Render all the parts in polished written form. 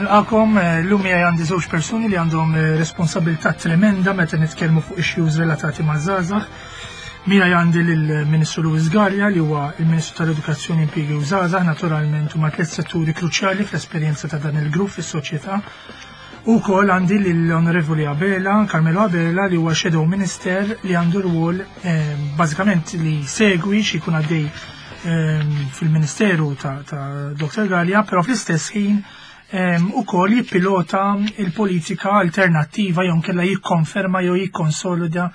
Nilqakom, eh, l-lum miegħi għandi żewġ persuni li għandhom eh, responsabilità tremenda meta nitkellmu fuq issues relatati ma' żgħażagħ. Miegħi għandi lill-Ministru Louis Gallia li huwa il-Ministru tal-Edukazzjoni Impjiegi u Żgħażagħ, naturalment huma tliet setturi kruċjali fl-esperjenza ta' dan il-grupp fis-soċjetà. U wkoll għandi lill-Onorevoli Abela, Carmelo Abela li huwa Shadow Minister li għandu rwol eh, bażikament li segwi xi jkun għaddej fil-Ministeru ta', ta Dr. Gallia, però fl-istess ħin ukoll jippilota il-politika alternattiva jew kella jikkonferma jew jikkonsolida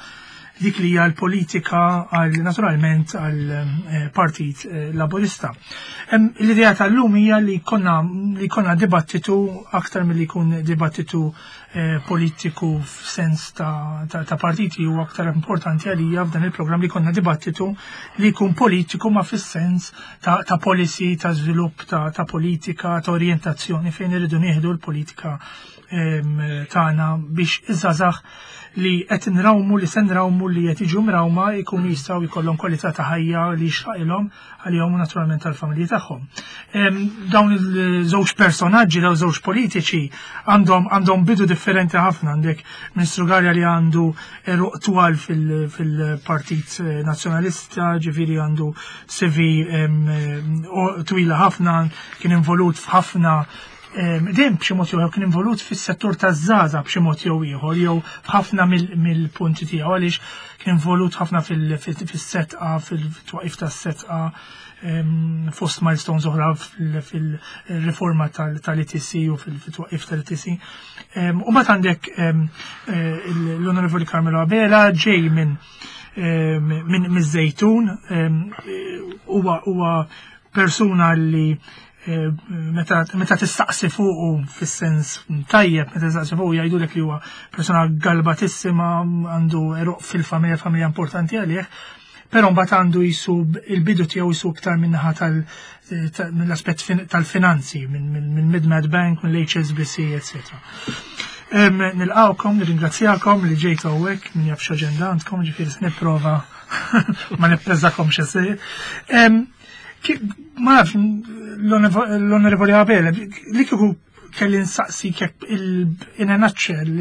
dik li hija l-politika għal naturalment għal eh, Partit eh, Laburista. L-idea tal-lum hija li konna li konna dibattitu aktar milli jkun dibattitu Eh, politiku f'sens ta', ta, ta partiti u aktar importanti għalija f'dan il-programm li konna dibattitu li jkun politiku ma fis-sens ta', ta policy, ta' żvilupp, ta', ta politika, ta' orientazzjoni fejn irridu nieħdu l-politika tagħna biex iż-żgħażagħ li qed nrawmu li se nrawmu li qed jiġu mrawma jkunu jistgħu jkollhom kwalità ta' ħajja li jixraqilhom għalihom u naturalment tal-familji tagħhom. Dawn il-żewġ personaġġi, dawn żewġ politiċi għandhom għandhom bidu differenti ħafna għandek Ministru Garja li għandu eruq twal fil-Partit Nazzjonalista, ġifieri għandu CV twila ħafna, kien involut f'ħafna dejjem b'xi mod jew kien involut fis-settur taż-żgħażagħ b'xi mod jew ieħor jew f'ħafna mill-punti tiegħu għaliex kien involut ħafna fis-setqa, fil-twaqif tas-setqa, fost milestones oħra fil-riforma tal-ETC u fil-twaqif tal-ETC. U mbagħad għandek eh, l-Onorevoli Carmelo Abela ġej minn minn miż-Żejtun huwa persuna li eh, meta meta tistaqsi fuqu fis-sens tajjeb, meta tistaqsi fuqu jgħidulek li huwa persuna galbatissima, għandu eruq fil-familja, familja importanti għalih, però mbagħad għandu jisu il-bidu tiegħu jisu iktar minnaħa tal mill-aspett tal-finanzi, minn Mid-Med Bank, mill-HSBC, etc. Nilqawkom, nirringrazzjakom li ġejtu hawnhekk, min jaf x'aġenda għandkom, ġifieri se nipprova ma nippreżakom xi Ma nafx, l-Onorevoli Abele, li kieku kelli nsaqsi kek in a nutshell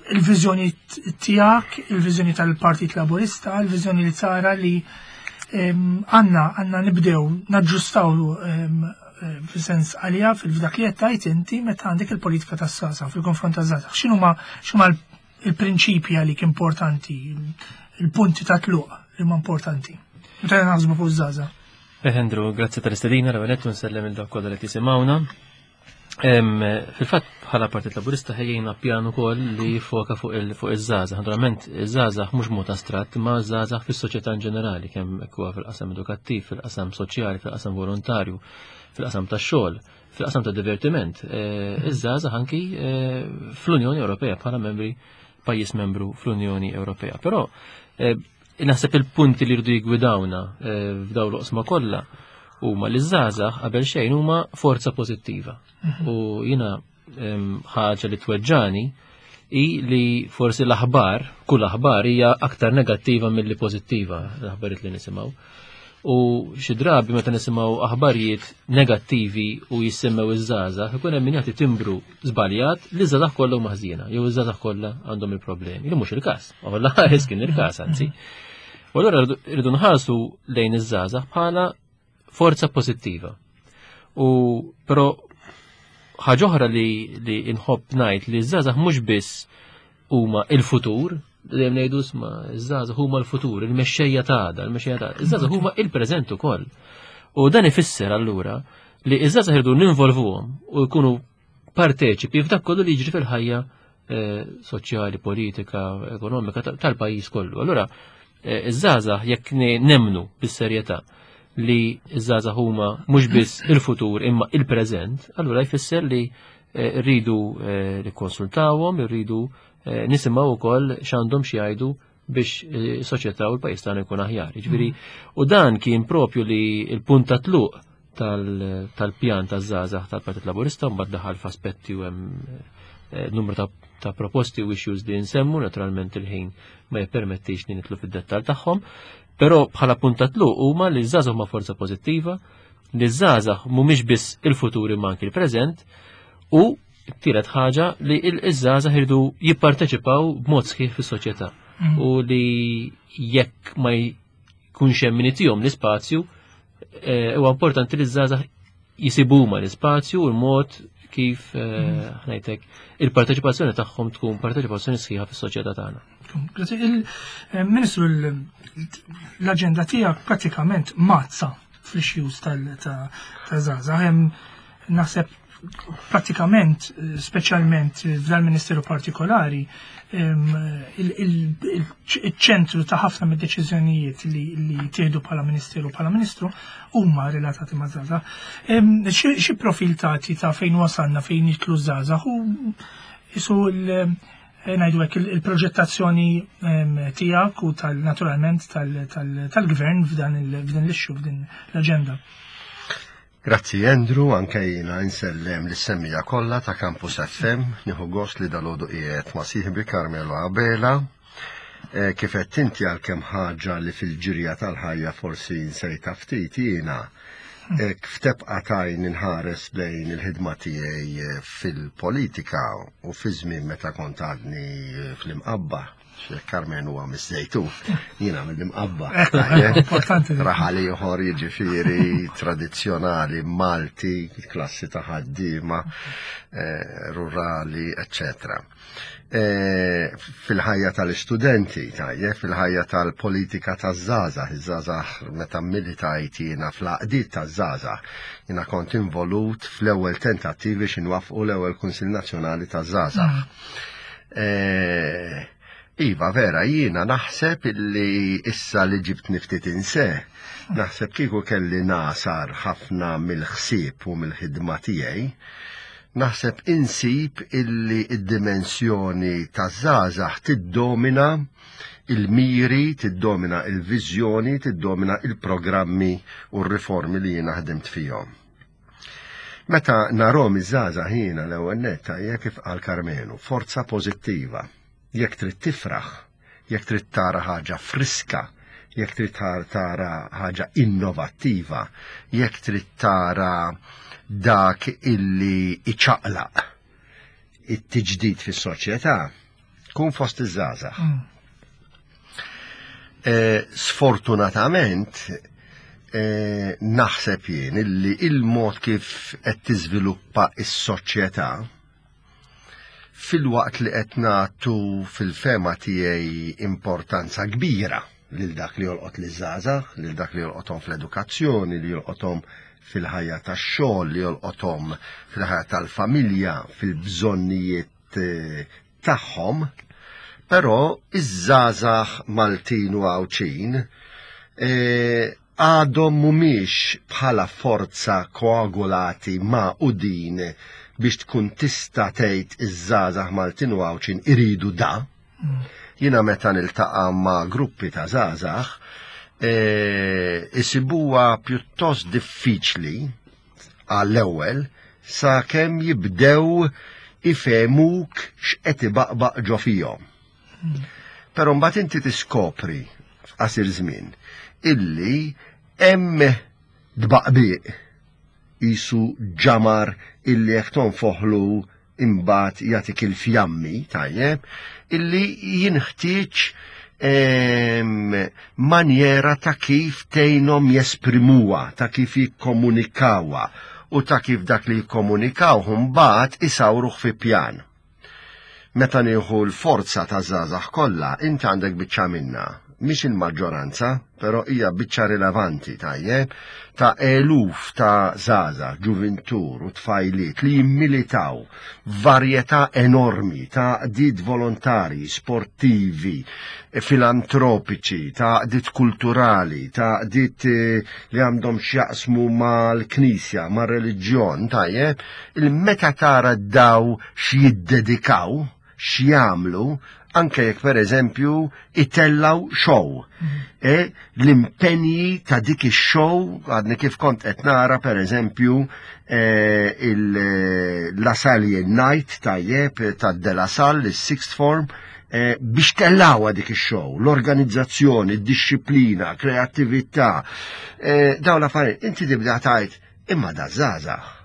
il-viżjoni tiegħek, il-viżjoni tal-Partit Laburista, il-viżjoni li tara li għanna għanna nibdew naġġustaw fil-sens għalija fil-dak li qed inti meta għandek il-politika tas-sasa fil-konfront taż-żgħażagħ. X'inhuma x'huma il-prinċipji għalik importanti, il-punti ta' tluq li huma importanti. Meta naħsbu fuq żgħażagħ. Eh, Andrew, grazzi tal-istedina, l-għanet nsellem il-dawk kollha li tisimgħuna. Fil-fatt bħala Partit Laburista ħejjejna pjan ukoll li foka fuq iż-żgħażagħ. Naturalment iż-żgħażagħ mhux mod astratt, ma żgħażagħ fis-soċjetà in ġenerali, kemm huwa fil-qasam edukattiv, fil-qasam soċjali, fil-qasam volontarju, fil-qasam tax-xogħol, fil-qasam ta' divertiment. Eh, iż-żgħażagħ anki eh, fl-Unjoni Ewropea bħala membri pajjiż membru fl-Unjoni Ewropea. Però eh, naħseb il-punti li rridu jigwidawna f'dawn l-oqsma kollha huma li żgħażagħ qabel xejn huma forza pożittiva. Mhm. U jiena ħaġa li tweġġani i li forsi l-aħbar, kull aħbar hija aktar negattiva milli pożittiva l-aħbarijiet li nisimgħu. U xi drabi meta nisimgħu aħbarijiet negattivi u jissemmew iż-żgħażagħ, ikun hemm min jagħti timbru żbaljat li żgħażagħ kollha huma ħżiena, jew iż-żgħażagħ kollha għandhom il-problemi. Li mhux il-każ, u ħares kien il-każ anzi. U allura rridu nħarsu lejn iż-żgħażagħ bħala forza pożittiva. U però ħaġa oħra li, li nħobb ngħid li ż-żgħażagħ mhux biss huma il-futur, dejjem ngħidu sma ż-żgħażagħ huma l-futur, il-mexxejja ta' għada, il-mexxejja ta' għada. Iż-żgħażagħ huma il-preżent ukoll. U dan ifisser allura li iż-żgħażagħ irdu ninvolvuhom u jkunu parteċipi f'dak kollu li jiġri fil-ħajja eh, soċjali, politika, ekonomika tal-pajjiż kollu. Allura, eh, iż-żgħażagħ jekk nemnu bis-serjetà li iż-żgħażagħ huma mhux biss il-futur imma il-preżent, allura jfisser li eh, rridu nikkonsultawhom, irridu nisimgħu wkoll x'għandhom xi jgħidu biex is-soċjetà u l-pajjiż tagħna jkun aħjar. Jiġifieri, u dan kien propju li l-punt ta' tluq tal-pjan taż-żgħażagħ tal-Partit Laburista mbagħad daħal f'aspetti u hemm eh, numru ta' proposti u issues li nsemmu, naturalment il-ħin ma jippermettix li nitlu fid-dettall tagħhom, però bħala punt ta' tluq huma li żgħażagħ ma' forza pożittiva. li ż-żgħażagħ mhumiex biss il-futur imma anki l-preżent u t-tielet ħaġa li l-żgħażagħ iridu jipparteċipaw b'mod sħiħ fis-soċjetà u li jekk ma jkunx hemm min itihom l-ispazju eh, huwa importanti li ż-żgħażagħ jisibu huma l-ispazju u l-mod kif eh, mm. ngħidlek il-parteċipazzjoni tagħhom tkun parteċipazzjoni sħiħa fis-soċjetà tagħna. Il-Ministru eh, l-aġenda tiegħek pratikament mazza fl-issues tal-żgħażagħ. Hemm naħseb pratikament, speċjalment f'dal-ministeru partikolari, il-ċentru ta' ħafna mid-deċiżjonijiet li tieħdu bħala ministeru bħala ministru huma relatati ma' żgħażagħ. Xi profil tagħti ta' fejn wasalna fejn jitlu żgħażagħ u isu ngħidu hekk il-proġettazzjoni tiegħek u tal-naturalment tal-gvern f'dan l-issue f'din l-aġenda. Grazzi Andrew, anke jiena insellem lis-semmiegħa kollha ta' Campus FM, nieħu gost li dalgħodu qiegħed ma' sieħbi Carmelo Abela. Eh, kif qed inti għalkemm ħaġa li fil-ġirja tal-ħajja forsi nsejta ftit jiena eh, ftebqa tajn inħares lejn il-ħidma tiegħi eh, fil-politika u fi żmien meta kont għadni fl-imqabba. Carmen huwa mis-Żejtun, jiena mill-Imqabba. Importanti. Raħal ieħor jiġifieri tradizzjonali Malti, klassi ta' ħaddiema, eh, rurali, eccetera. Eh, fil-ħajja tal-istudenti, tajjeb, fil-ħajja tal-politika taż-żgħażagħ, iż-żgħażagħ meta militajt jiena fl-għaqdiet taż-żgħażagħ, jiena kont involut fl-ewwel tentattivi x'inwaffqu l-ewwel Kunsill Nazzjonali taż-Żgħażagħ. Eh, iva, vera, jiena naħseb illi issa li ġibt niftit inse, naħseb kieku kelli nasar ħafna mill-ħsieb u mill-ħidma tiegħi, naħseb insib illi id-dimensjoni taż-żgħażagħ tiddomina il-miri, tiddomina il-viżjoni, tiddomina il-programmi u r-riformi li jiena ħdimt fihom. Meta narhom iż-żgħażagħ jiena l-ewwel nett hija kif qal Karmenu, forza pożittiva. Jekk trid tifraħ, jekk trid tara ħaġa friska, jekk trid tara ħaġa innovattiva, jekk trid tara dak illi iċaqlaq it-tiġdid fis-soċjetà, kun fost iż-żgħażagħ. Mm. Eh, sfortunatament, eh, naħseb jien illi il-mod kif qed tiżviluppa s-soċjetà filwaqt li qed nagħtu fil-fema tiegħi importanza kbira lil dak li jolqot li żgħażagħ, lil dak li jolqothom fl-edukazzjoni, li jolqothom fil-ħajja tax-xogħol, li jolqothom fil-ħajja tal-familja, fil-bżonnijiet eh, tagħhom, però iż-żgħażagħ Maltin u Għawdxin eh, għadhom mhumiex bħala forza koagulati ma' u din biex tkun tista' tgħid iż-żgħażagħ Maltin u Għawdxin iridu da. Mm. Jiena meta niltaqa' ma' gruppi ta' żgħażagħ eh, isibuha pjuttost diffiċli għall-ewwel sakemm jibdew ifehmuk x'qed ibaqbaq ġo fihom. Però mbagħad inti tiskopri f'qasir żmien illi hemm tbaqbiq jisu ġamar illi jekk tonfoħlu imbagħad jagħtik il-fjammi, tajjeb, illi jinħtieġ ehm, manjera ta' kif tgħinhom jesprimuha, ta' kif jikkomunikawha u ta' kif dak li jikkomunikaw mbagħad isawruh fi pjan. Meta nieħu l-forza ta' żgħażagħ kollha, inti għandek biċċa minna, mhix il-maġġoranza, però hija biċċa rilevanti tajjeb ta' eluf ta' żgħażagħ, ġuvintur u tfajliet li jimmilitaw varjetà enormi ta' għaqdiet volontarji, sportivi, filantropiċi, ta' għaqdiet kulturali, ta' għaqdiet eh, li għandhom x'jaqsmu mal-knisja, mar-reliġjon, tajjeb, il-meta tara daw x'jiddedikaw, x'jagħmlu, anke jekk pereżempju itellaw show. Mhm. E, l-impenji ta' dik ix-show, għadni kif kont qed nara pereżempju e, il-La Salle Night tajjeb ta' De La Salle, is-sixth form, e, biex tellawa dik ix-show, l-organizzazzjoni, id-disciplina, kreattività, e, dawn l-affarijiet. Inti tibda tajt Imma da żgħażagħ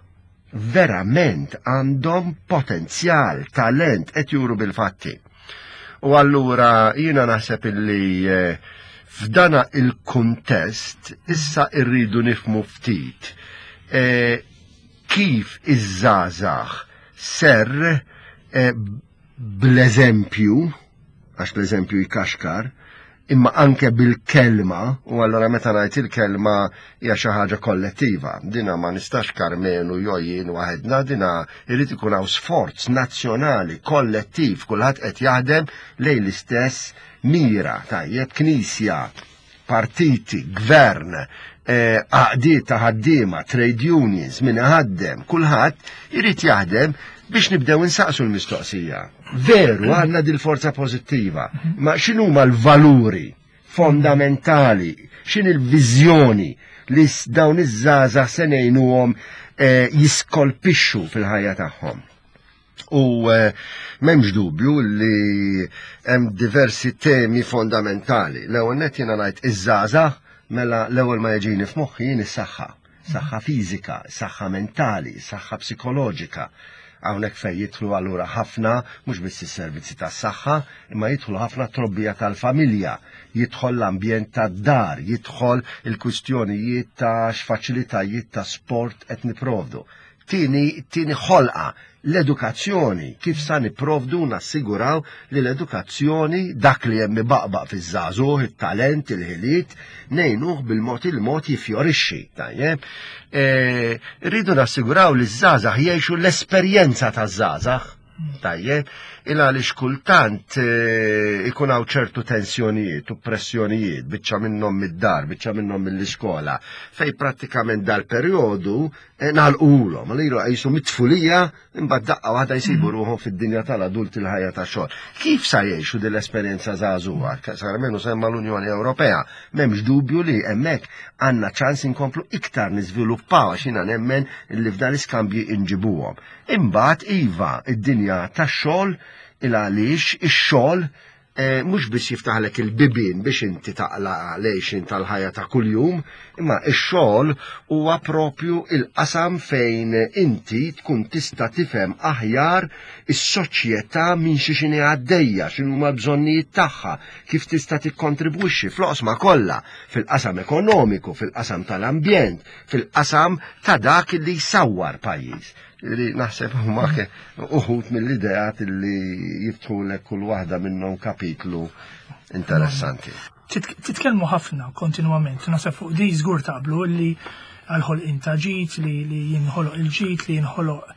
verament għandhom potenzjal, talent qed juru bil-fatti. U allura jiena naħseb illi eh, f'dana il-kuntest issa irridu nifmu ftit eh, kif iż-żgħażagħ ser eh, bl-eżempju, għax l-eżempju jkaxkar, imma anke bil-kelma, u allura meta ngħid il-kelma hija xi ħaġa kollettiva. Dina ma nistax Karmenu jew jien waħedna, dina jrid ikun hawn sforz nazzjonali kollettiv, kulħadd qed jaħdem lejn l-istess mira, tajjeb, knisja, partiti, gvern, eh, għaqdiet ta' ħaddiema, trade unions, min ħaddem, kulħadd irid jaħdem biex nibdew insaqsu l-mistoqsija. Veru għandna dil-forza pożittiva, ma x'inhuma l-valuri fondamentali, x'in il-viżjoni li dawn iż-żgħażagħ se ngħinuhom eh, jiskolpixxu fil-ħajja tagħhom. U eh, m'hemmx dubju li hemm diversi temi fondamentali. L-ewwel nett jiena ngħid iż-żgħażagħ mela l-ewwel ma jiġini f'moħħi jien is-saħħa. Saħħa fiżika, saħħa mentali, saħħa psikoloġika. Hawnhekk fejn jidħlu allura ħafna mhux biss is-servizzi tas-saħħa, imma jidħlu ħafna trobbija tal-familja, jidħol l-ambjent tad-dar, jidħol il-kwistjonijiet ta' x'faċilitajiet ta' sport qed niprovdu. Tieni, tieni ħolqa, l-edukazzjoni, kif sa nipprovdu u nassiguraw li l-edukazzjoni, dak li hemm ibaqbaq fiż-żagħżugħ, it-talent, il-ħiliet, ngħinuh bil-mod il-mod jiffjorixxi, tajjeb? E, rridu nassiguraw li ż-żgħażagħ jgħixu l-esperjenza taż-żgħażagħ, tajjeb? Il għaliex kultant e, ikun hawn ċertu tensjonijiet u pressjonijiet, biċċa minnhom mid-dar, biċċa minnhom mill-iskola, fej prattikament dal-perjodu Eh, nagħlqulhom, għalilu jisu mit-tfulija imbagħad daqqa waħda jsibu mm. ruħhom fid-dinja tal-adulti l-ħajja ta' xogħol. Kif sa jgħixu din l-esperjenza żagħżugħa? Sarmenu semma l-Unjoni Ewropea, m'hemmx dubju li hemmhekk għandna ċans inkomplu iktar niżviluppaw għax jiena nemmen li f'dan l-iskambji inġibuhom. Imbagħad iva id-dinja tax-xogħol il għaliex ix-xogħol Eh, mhux biss jiftaħlek il-bibien biex inti taqla lejxin tal-ħajja ta' kuljum, imma x-xogħol huwa propju il-qasam fejn inti tkun tista' tifhem aħjar is-soċjetà minn xi xini għaddejja, x'inhuma l-bżonnijiet tagħha, kif tista' tikkontribwixxi fl-oqsma kollha, fil-qasam ekonomiku, fil-qasam tal-ambjent, fil-qasam ta' dak li jsawwar pajjiż. Li naħseb huma uħut mill-ideat li jiftħulek kull waħda minnhom kapitlu interessanti. Titkellmu ħafna kontinwament, naħseb fuq di żgur taqblu li għal-ħolqien ta' ġid, li jinħoloq il-ġid, li jinħoloq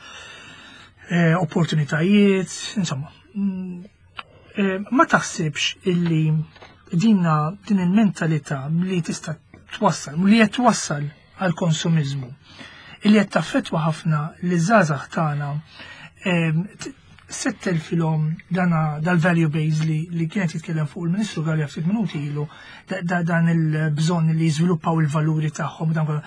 eh, opportunitajiet, insomma. Mm, eh, ma taħsibx illi dinna din il-mentalità li tista' twassal, li qed twassal għall-konsumiżmu illi qed taffettwa ħafna li żgħażagħ tagħna settel filhom dana dal-value base li, li kienet jitkellem fuq il-Ministru Galea ftit minuti ilu da, dan il-bżonn li jiżviluppaw il-valuri tagħhom dan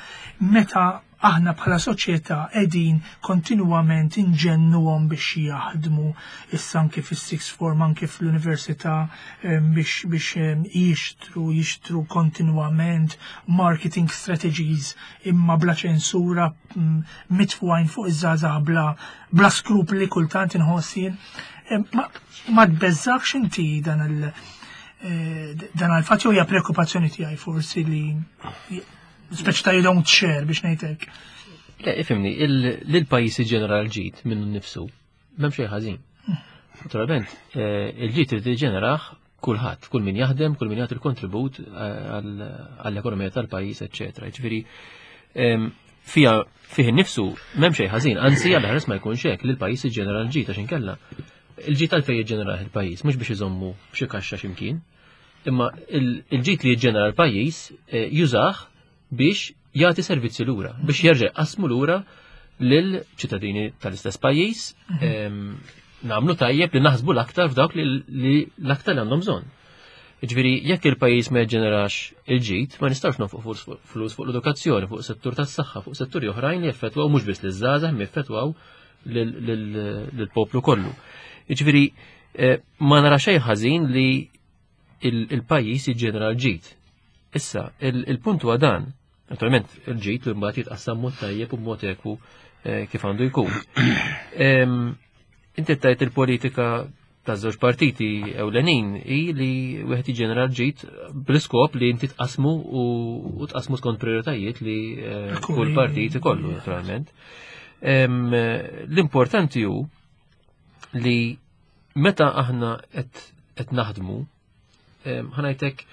meta aħna bħala soċjetà qegħdin kontinwament inġennuhom biex jaħdmu issa anke fis-sixth form anke fl-università biex biex jixtru jixtru kontinwament marketing strategies imma bla ċensura mm, mitfugħin fuq iż-żgħażagħ bla bla skrupli kultant inħoss jien. Ma, ma tbeżżax inti dan il eh, dan għal-fatt jew hija preokkupazzjoni tiegħi forsi li speċi ta' you don't share biex ngħidlek. Le, ifimni, l-pajjiż iġenera l-ġid minnu nnifsu, m'hemm xejn ħażin. Naturalment, eh, il-ġid irid iġeneraħ kulħadd, kull min jaħdem, kull min jagħti l-kontribut eh, għall-ekonomija tal-pajjiż, eċċetera. Ġifieri fija fih innifsu m'hemm xejn ħażin, anzi għal ħares ma jkunx hekk li l-pajjiż iġġenera l-ġid għax inkella. Il-ġid għalfejn jiġġenera il-pajjiż, mhux biex iżommu f'xi kaxxa x'imkien, imma il-ġid li jiġġenera l-pajjiż eh, jużah biex jagħti servizzi lura, biex jerġa' jqassmu lura lil ċittadini tal-istess pajjiż mhm. nagħmlu tajjeb li naħsbu l-aktar f'dawk li l-aktar li għandhom bżonn. Ġifieri jekk il-pajjiż ma jġenerax il-ġid, ma nistgħux nonfuq flus fuq l-edukazzjoni, fuq settur tas-saħħa, fuq setturi oħrajn li jeffettwaw mhux biss liż-żgħażagħ, imma jeffettwaw lill-poplu kollu. Ġifieri eh, ma nara xejn ħażin li il-pajjiż jiġġenera l-ġid. Issa, il-punt huwa dan. Naturalment, il-ġid li mbagħad jitqassam mod tajjeb u mod ekwu eh, kif għandu jkun. Inti tajt il-politika ta' żewġ partiti ewlenin hi li wieħed jiġġenera l-ġid bl-iskop li inti tqasmu u tqasmu skont prioritajiet li eh, kull partit ikollu naturalment. L-importanti hu li meta aħna qed naħdmu ħanajtek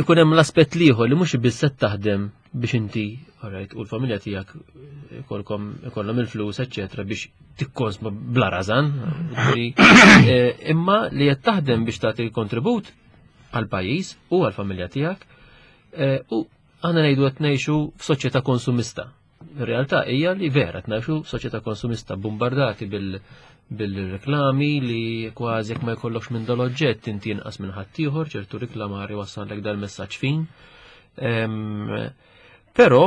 ikun hemm l-aspett liħor li mhux biss qed taħdem biex inti alright, u l-familja tiegħek ikolkom ikollhom il-flus, eċċetera, biex tikkonsma bla rażan, eh, imma li qed taħdem biex tagħti kontribut għal pajjiż u għal familja tiegħek eh, u aħna ngħidu qed ngħixu f'soċjetà konsumista. Ir-realtà hija li vera qed ngħixu f'soċjetà konsumista bombardati bil bil-reklami li kważi jekk ma jkollokx minn dal-oġġett inti inqas minn ħaddieħor, ċertu reklamar iwassallek dal-messaġġ fin. Però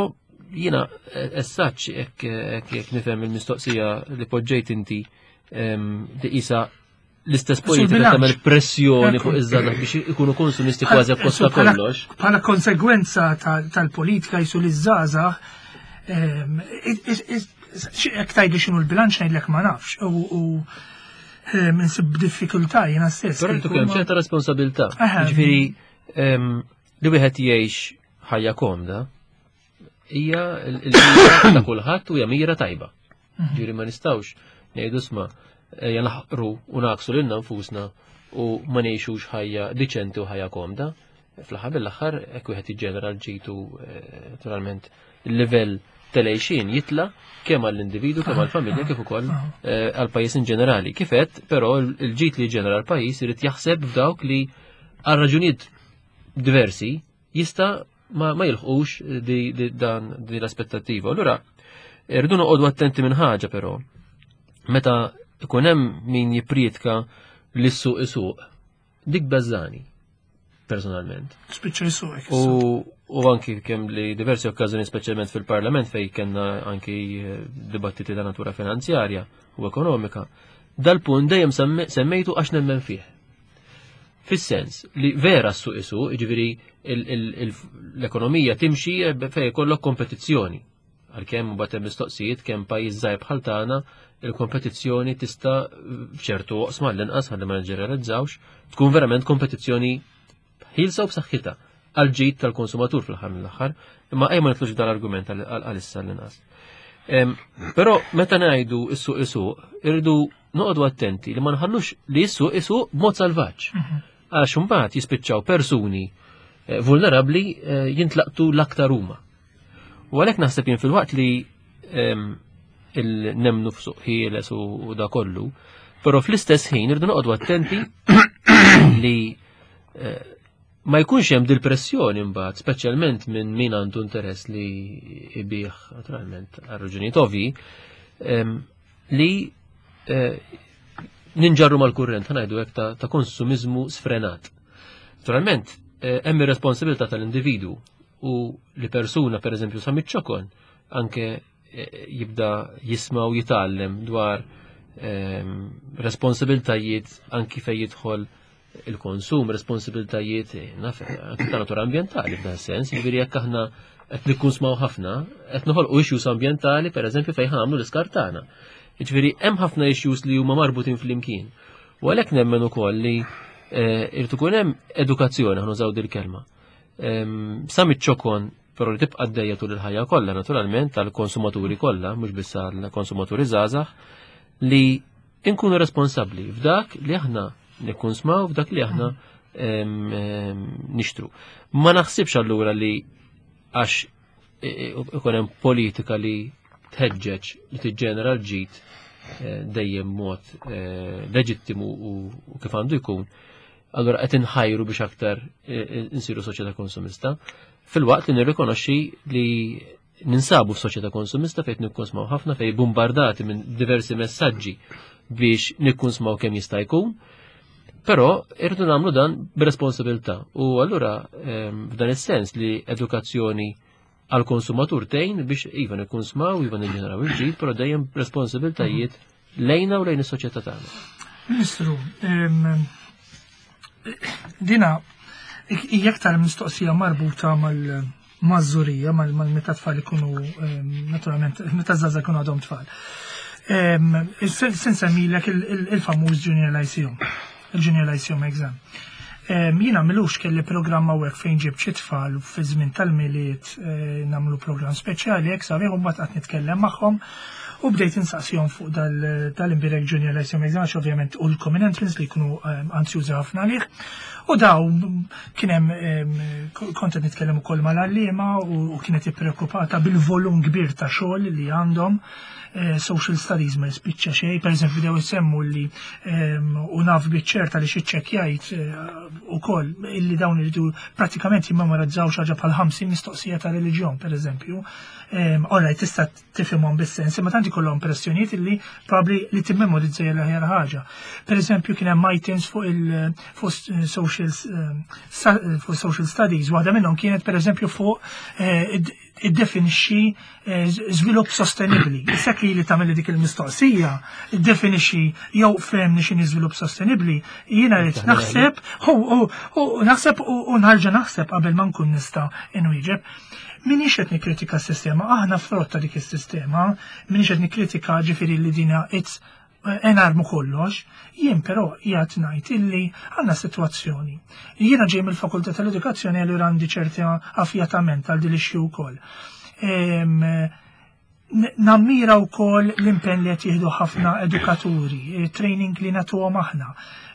jiena essaċ jekk jekk nifhem il-mistoqsija li poġġejt inti li qisha l-istess politika tagħmel pressjoni fuq iż-żgħażagħ biex ikunu konsumisti kważi akkosta kollox. Bħala konsegwenza tal-politika jisu li żgħażagħ ehm, jekk tgħidli x'inhu l-bilanċ ngħidlek ma nafx u ehm, insib diffikultà jiena stess. Però rridu kemm ċerta responsabilità. Ġifieri ehm, li wieħed jgħix ħajja komda hija l-mira ta' kulħadd u hija mira tajba. Mhm. Ġifieri ma nistgħux ngħidu sma' ejja naħqru u naqsu lilna nfusna u ma ngħixux ħajja diċenti u ħajja komda. Fl-aħħar mill-aħħar hekk wieħed jiġġenera l-ġitu eh, naturalment il-livell tal-għejxin jitla kemm għall-individu kemm għall-familja kif ukoll eh, għall-pajjiż in ġenerali. Kif għedt, però l-ġid li ġenera l-pajjiż irid jaħseb f'dawk li għal raġunijiet diversi jista' ma, ma jilħqux di, di, dan di l-aspettattiva. Allura, irridu noqogħdu attenti minn ħaġa però. Meta ikun hemm min jipprietka li s-suq isuq, dik beżani personalment. Spiċċa jsuq. U, u anki kemm li diversi okkażjoni speċjalment fil-Parlament fej kellna anki eh, dibattiti ta' natura finanzjarja u ekonomika, dal-punt dejjem semmejtu għax nemmen fih. Fis-sens li vera s-suq isuq, jiġifieri l-ekonomija timxi fejn ikollok kompetizzjoni. Għalkemm mbagħad hemm mistoqsijiet kemm pajjiż żgħir bħal tagħna il-kompetizzjoni tista' f'ċertu oqsma l-inqas ħalli ma niġġeneralizzawx, tkun verament kompetizzjoni ħielsa u b'saħħitha għal ġid tal-konsumatur fl-aħħar mill-aħħar, imma ejja ma nitlux dal-argument għalissa l-inqas. Però meta ngħidu s-suq isuq, irridu noqogħdu attenti li ma nħallux li s-suq isuq b'mod salvaġġ. Mhm. Għax imbagħad jispiċċaw persuni eh, vulnerabbli eh, jintlaqtu l-aktar huma. U għalhekk naħseb jien fil-waqt li ehm, il-nemnu f'suq ħieles u da kollu, però fl-istess ħin irridu noqogħdu attenti li eh, ma jkunx hemm dil-pressjoni mbagħad, speċjalment minn min għandu interess li ibih naturalment għal raġunijiet ovvji, ehm, li eh, ninġarru mal-kurrent, ħanajdu hekk ta' konsumiżmu sfrenat. Naturalment, eh, hemm ir-responsabilità tal-individwu u li persuna pereżempju sa miċ-ċokon anke eh, jibda jisma' u jitgħallem dwar ehm, responsabiltajiet anki fejn jidħol il-konsum, responsabiltajiet naf, anki ta' natura ambjentali f'dan sens, jiġifieri jekk aħna qed nikkunsmaw ħafna, qed noħolqu issues ambjentali pereżempju fejn ħamlu l-iskart tagħna. Jiġifieri hemm ħafna issues li huma marbutin flimkien. U għalhekk nemmen ukoll li eh, irid ikun hemm edukazzjoni aħna użaw dil-kelma. Ehm, sa miċ-ċokon però li tibqa' għaddejja tul il-ħajja kollha naturalment tal-konsumaturi kollha, mhux biss għall-konsumaturi żgħażagħ, li inkunu responsabbli f'dak li aħna nikkunsmaw, f'dak li aħna nixtru. Ma naħsibx allura li għax ikun hemm politika li tħeġġeġ li tiġġenera l-ġid eh, dejjem mod eh, leġittimu u kif għandu jkun, allura qed inħajru biex aktar eh, insiru soċjetà konsumista, fil-waqt li nirrikonoxxi li ninsabu f'soċjetà konsumista fejn nikkonsmaw ħafna fejn bombardati minn diversi messaġġi biex nikkunsmaw kemm jista' jkun. Però irridu nagħmlu dan b'responsabilità u allura ehm, f'dan is-sens li edukazzjoni għal konsumatur tgħin biex iva nikkunsmaw, iva niġġeneraw il-ġid, però dejjem responsabiltajiet lejna u lejn is-soċjetà tagħna. Ministru, ehm, dina hija aktar mistoqsija marbuta mal- maż-żurija, mal-meta tfal ikunu, naturalment, meta żgħażagħ ikunu għadhom tfal. Se nsemmilek il-famuż Junior Lyceum, il-Junior Lyceum exam. Jiena milux kelli programm hawnhekk fejn ġibt xi tfal fi żmien tal-Milied eh, nagħmlu programm speċjali hekk sabiħ u mbagħad qatt nitkellem magħhom u bdejt insaqsihom fuq dal-imbirek Junior Lyceum exam għax ovvjament u l-common entrance li jkunu anzjużi ħafna għalih. U daw kien hemm kont qed nitkellem ukoll mal-għalliema u kienet ippreokkupata bil-volum kbir ta' xogħol li għandhom Eh, social studies ma jispiċċa xejn, per eżempju dew isemmu li ehm, u naf biċ-ċerta li xi ċċekkjajt eh, ukoll illi dawn iridu pratikament jimmemorizzaw xi ħaġa bħal 50 mistoqsija ta' reliġjon, per eżempju. Ehm, Alright, tista' tifhimhom bis-sens, imma tant ikollhom pressjonijiet illi probabbli li timmemorizza hija l-aħjar ħaġa. Per eżempju, kien hemm items fuq il fuq social eh, fuq social studies, waħda minnhom kienet per eżempju fuq iddefinixxi eh, żvilupp sostenibbli. Issa li li tagħmel dik il-mistoqsija, iddefinixxi jew fehmni x'inhi żvilupp sostenibbli, jiena rrid naħseb u naħseb u nħarġa naħseb qabel ma nkun nista' inwieġeb. Minix qed nikkritika s-sistema, aħna frott ta' dik is-sistema, minix qed nikkritika ġifieri li dina it's enarmu kollox, jien però qiegħed ngħid illi għandna sitwazzjoni. Jiena ġej mill-Fakultà tal-Edukazzjoni allura għandi ċerta affjatament għal din l-issue wkoll. Nammira wkoll l-impenn li qed jieħdu ħafna edukaturi, training li nagħtuhom aħna,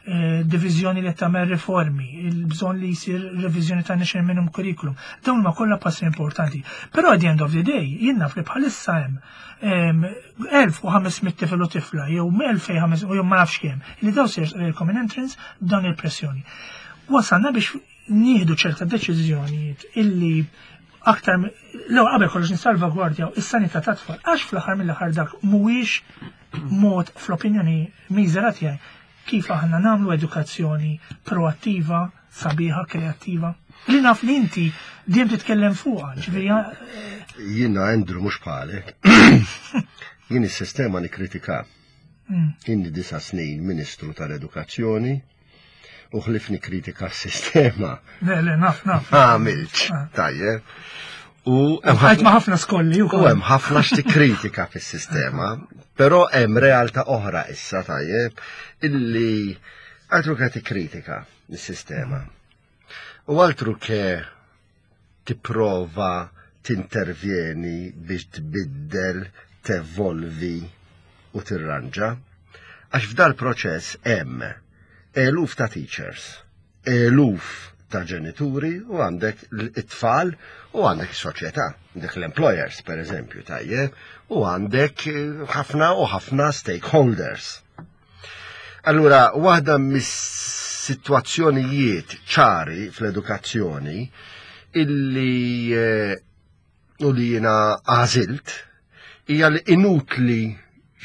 eh, diviżjoni li tagħmel riformi, il-bżonn li jsir reviżjoni ta' National Minimum Curriculum. Dawn ma kollha passi importanti. Però at the end of the day, jien naf li bħalissa hemm 1500 tifel u tifla jew 2500 jew ma nafx kemm li daw se common entrance b'dawn il-pressjoni. Wasalna biex nieħdu ċerta deċiżjonijiet illi aktar l qabel kollox nissalvagwardjaw is-sanità ta' tfal għax fl-aħħar mill-aħħar dak mhuwiex mod fl-opinjoni miżera tiegħi kif aħna nagħmlu edukazzjoni proattiva, sabiħa, kreattiva. Li naf li inti dejjem titkellem fuqha, ġifieri eh, Jiena Andrew mhux bħalek. Jien is-sistema nikkritika. Inni disa' snin Ministru tal-Edukazzjoni u ħlif nikkritika s-sistema. Le, le, naf, naf. Għamilx, ah. tajjeb. U hemm ma ħafna skolli u hemm ħafna x'tikkritika fis-sistema, però hemm realtà oħra issa tajjeb illi altru ke tikkritika s-sistema. U altru ke tipprova tintervjeni biex tbiddel, tevolvi u tirranġa. Għax f'dal proċess hemm eluf ta' teachers, eluf ta' ġenituri u għandek it-tfal u għandek is-soċjetà, għandek l-employers per eżempju tajjeb, u għandek eh, ħafna u ħafna stakeholders. Allura, waħda mis-sitwazzjonijiet ċari fl-edukazzjoni illi eh, u li jiena għażilt hija li inutli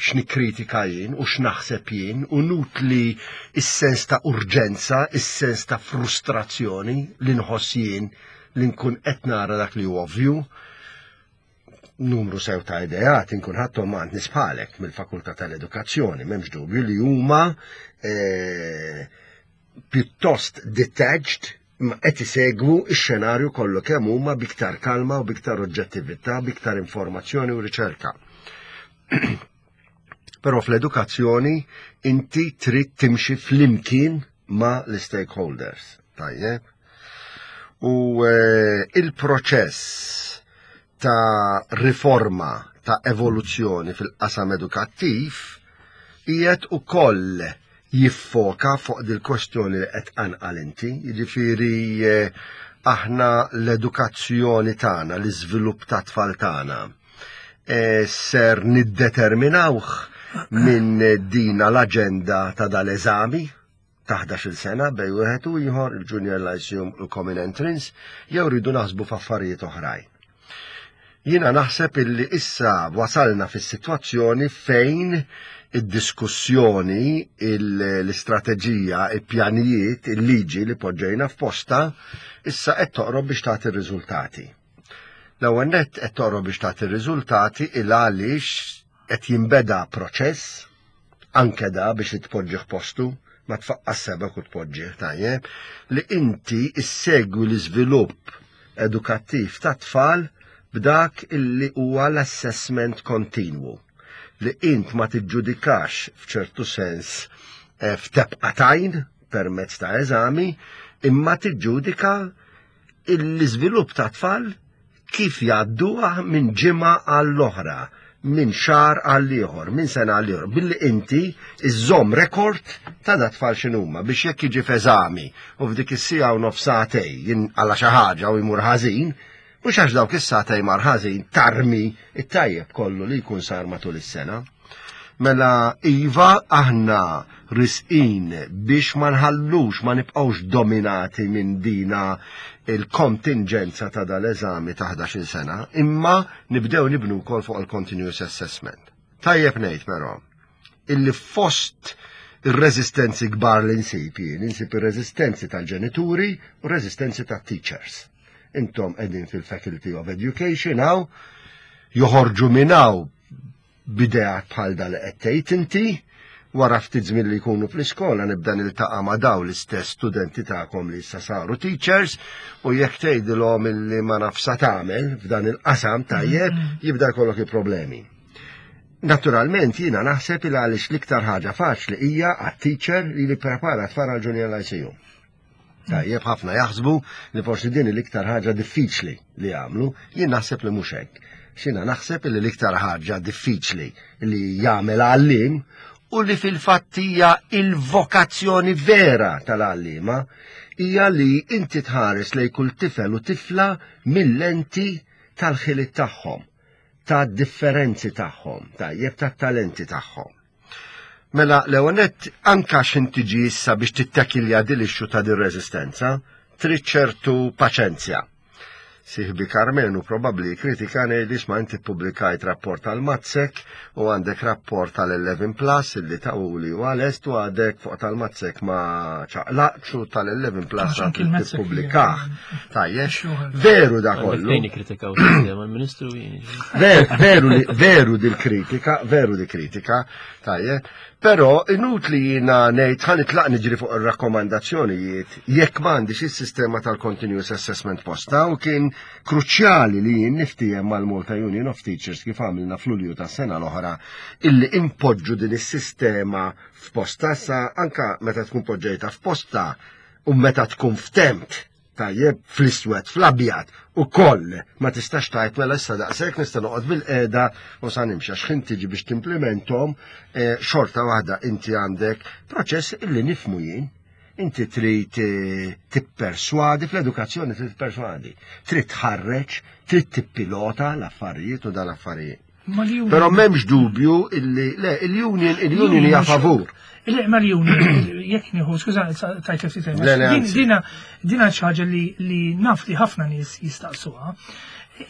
x'nikkritika jien u x'naħseb jien, u inutli is-sens ta' urġenza, is-sens ta' frustrazzjoni li nħoss jien li nkun qed nara dak li hu ovvju. Numru sew ta' ideat inkun ħadthom għand nies bħalek mill-Fakultà tal-Edukazzjoni, m'hemmx dubju li huma eh, pjuttost detached imma qed isegwu x-xenarju kollu kemm huma biktar kalma u biktar oġġettività, biktar informazzjoni u riċerka. Però fl-edukazzjoni inti trid timxi flimkien ma' l-stakeholders. Tajjeb. U eh, il-proċess ta' riforma ta' evoluzzjoni fil-qasam edukattiv qiegħed ukoll jiffoka fuq dil-kwestjoni li qed tqanqal inti, jiġifieri eh, aħna l-edukazzjoni tagħna, l-iżvilupp ta' tfal tagħna eh, ser niddeterminawh minn dina l-aġenda ta' dal-eżami ta' 11-il sena bej wieħed u ieħor il-Junior Lyceum u l-Common Entrance jew rridu naħsbu f'affarijiet oħrajn. Jiena naħseb illi issa wasalna fis-sitwazzjoni fejn id-diskussjoni, l-istrateġija, il-pjanijiet, il-liġi li poġġejna f'posta, issa qed toqrob biex tagħti r-riżultati. L-ewwel nett qed toqrob biex tagħti r-riżultati il għaliex qed jinbeda proċess anke da biex tpoġġih postu, ma tfaqqas sebek u tpoġġih tajjeb, li inti issegwi l-iżvilupp edukattiv tat-tfal b'dak illi huwa l-assessment kontinwu. Li int ma tiġġudikax f'ċertu sens eh, f'tebqa tajn permezz ta' eżami, imma tiġġudika l-iżvilupp ta' tfal kif jgħadduha minn ġimgħa għall-oħra, minn xahar għal ieħor, minn sena għal ieħor, billi inti iżżomm rekord ta' da tfal x'inhuma biex jekk jiġi f'eżami u f'dik is-siegħa u nofs sagħtej jinqala xi ħaġa u jmur ħażin, mhux għax dawk is-sagħtej mar ħażin tarmi it-tajjeb kollu li jkun sar matul is-sena. Mela iva aħna risqin biex ma nħallux ma nibqgħux dominati minn dina il-kontingenza ta' dal-eżami ta' 11 sena, imma nibdew nibnu wkoll fuq il-continuous assessment. Tajjeb ngħid però illi fost ir-reżistenzi kbar li nsib jien, insib ir-reżistenzi tal-ġenituri u r-reżistenzi tat-teachers. Intom qegħdin fil-Faculty of Education hawn, joħorġu minn hawn b'ideat bħal da li qed tgħid inti, wara ftit żmien li jkunu fl-iskola nibda niltaqa' ma' daw l-istess studenti tagħkom li issa saru teachers u jekk tgħidilhom illi ma nafsa tagħmel f'dan il-qasam tajjeb mm-hmm. jibda jkollok il-problemi. Naturalment jiena naħseb il għaliex l-iktar ħaġa faċli hija għat-teacher li li prepara tfal għal junior lyceum. Tajjeb ħafna jaħsbu li forsi din l-iktar ħaġa diffiċli li jagħmlu, jien naħseb li mhux hekk. Xina naħseb li l-iktar ħaġa diffiċli li jagħmel għallim u li fil-fatt hija il-vokazzjoni vera tal-għalliema hija li inti tħares lej kull tifel u tifla mill-lenti tal-ħiliet tagħhom, tad-differenzi tagħhom, tajjeb tat-talenti tagħhom. Mela, l-ewwel nett anka x'in tiġi issa biex tittakilja din l-issue ta' din reżistenza, trid ċertu paċenzja. Siħbi Karmenu probabbli kritikani li ma inti pubblikajt rapport tal-Matsec u għandek rapport tal-11 Plus illi tawuli u għalest u għadek fuq tal-Matsec ma ċaqlaqx u tal-11 Plus għad tippubblikah. Tajjeb, veru da kollu. Fejn ikkritikaw sistema l-Ministru Veru veru dil-kritika, veru dil-kritika, tajjeb, però inutli jiena ngħid ħa nitlaq niġri fuq ir-rakkomandazzjonijiet jekk m'għandix is-sistema tal-continuous assessment posta u kien kruċjali li jien niftiehem mal-Malta Union of Teachers kif għamilna f'Lulju tas-sena l-oħra illi impoġġu din is-sistema f'posta sa anka meta tkun poġġejta f'posta u meta tkun ftemt tajjeb fl-iswed, fl-abjad u koll ma tistax tajt mela issa daqshekk nista' noqgħod bil-qiegħda u sa nimxi għax ħin tiġi biex timplementhom eh, xorta waħda inti għandek proċess illi nifmu jien. Inti trid eh, tipperswadi fl-edukazzjoni trid tipperswadi, trid tħarreġ, trid tippilota l-affarijiet u dal-affarijiet. Però m'hemmx dubju illi le il-union il-union hija favur. Il ma l-union jekk nieħu skuża tajt ftit Dina dina xi ħaġa li naf li ħafna nies jistaqsuha.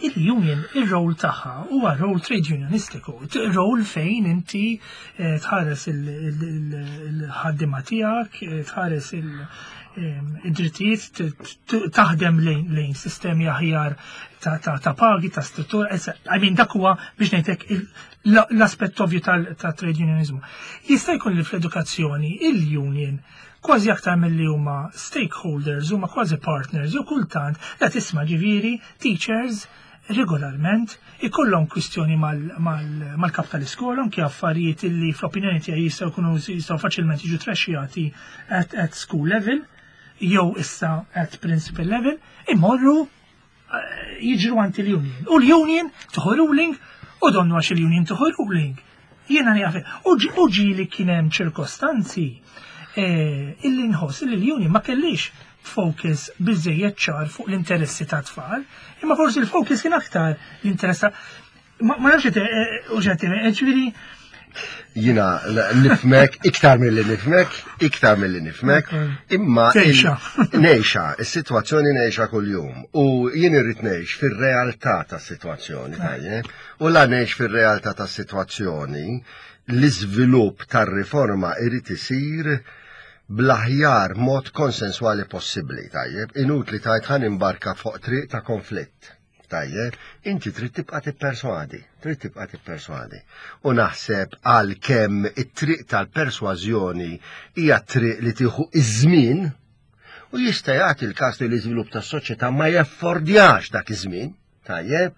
Il-union ir-rol tagħha huwa rol trade unionistiku, rol fejn inti eh, tħares il-ħaddiema tiegħek, eh, tħares eh, id-drittijiet taħdem lejn sistemi aħjar ta' pagi, ta' struttura, I mean dak huwa biex ngħidlek l-aspett ovvju ta' trade unionizmu. Jista' jkun li fl-edukazzjoni il-union kważi aktar milli huma stakeholders, huma kważi partners, jew kultant la tisma' ġifieri teachers regolarment ikollhom kwistjoni mal-kap tal-iskola anke affarijiet illi fl-opinjoni tiegħi jistgħu jkunu jistgħu faċilment jiġu trexxjati at, at school level jew issa at principal level, imorru jiġru għand il-union. U l-union tuħu ruling u donnu għax il-union tuħu ruling. Jiena nieqaf. U ġieli kien hemm ċirkostanzi eh, illi nħoss illi l-union ma kellix focus biżejjed ċar fuq l-interessi ta' tfal, imma forsi l-focus kien aktar l-interess ta' Ma nafx eh, u ġetti, eh, ġifieri jina nifmek, iktar mill-li nifmek, iktar mill-li nifmek, imma. Nejxa. Nejxa, il-situazzjoni nejxa kull-jum. U jien irrid nejx fil-realtà ta' situazzjoni, tajjeb. U la nejx fil-realtà ta' situazzjoni, l-iżvilupp tar-riforma irrid isir bl-aħjar mod konsenswali possibbli, tajjeb. Inutli tajt ħan imbarka fuq triq ta' konflitt. Tajjeb, inti trid tibqa' tipperswadi, trid tibqa' tipperswadi. U naħseb għal kemm it-triq tal-persważjoni hija triq li tieħu iż-żmien U jista' jagħti l-każ li l-iżvilupp tas-soċjetà ma jaffordjax dak iż-żmien, tajjeb?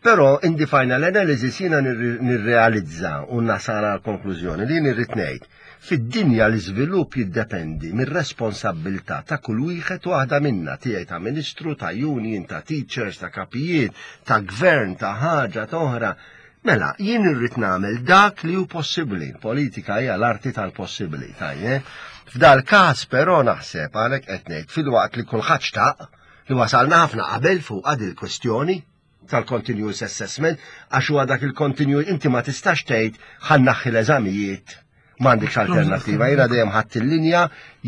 Però in the final analysis jiena nirrealizza u nasal għal konklużjoni li nirrid ngħid fid-dinja l-iżvilupp jiddependi mir-responsabbiltà ta' kull wieħed u waħda minna, tiegħi ta' ministru, ta' union, ta' teachers, ta' kapijiet, ta' gvern, ta' ħaġa, ta' oħra. Mela, jien irrid nagħmel dak li hu possibbli. Politika hija l-arti tal-possibbli, tajjeb. F'dal każ però naħseb għalhekk qed ngħid filwaqt li kulħadd xtaq li wasalna ħafna qabel fuq il-kwestjoni tal-continuous assessment għax huwa dak il-continuous inti ma tistax tgħid ħa nneħħi l-eżamijiet m'għandekx alternattiva. Jiena dejjem ħadd il-linja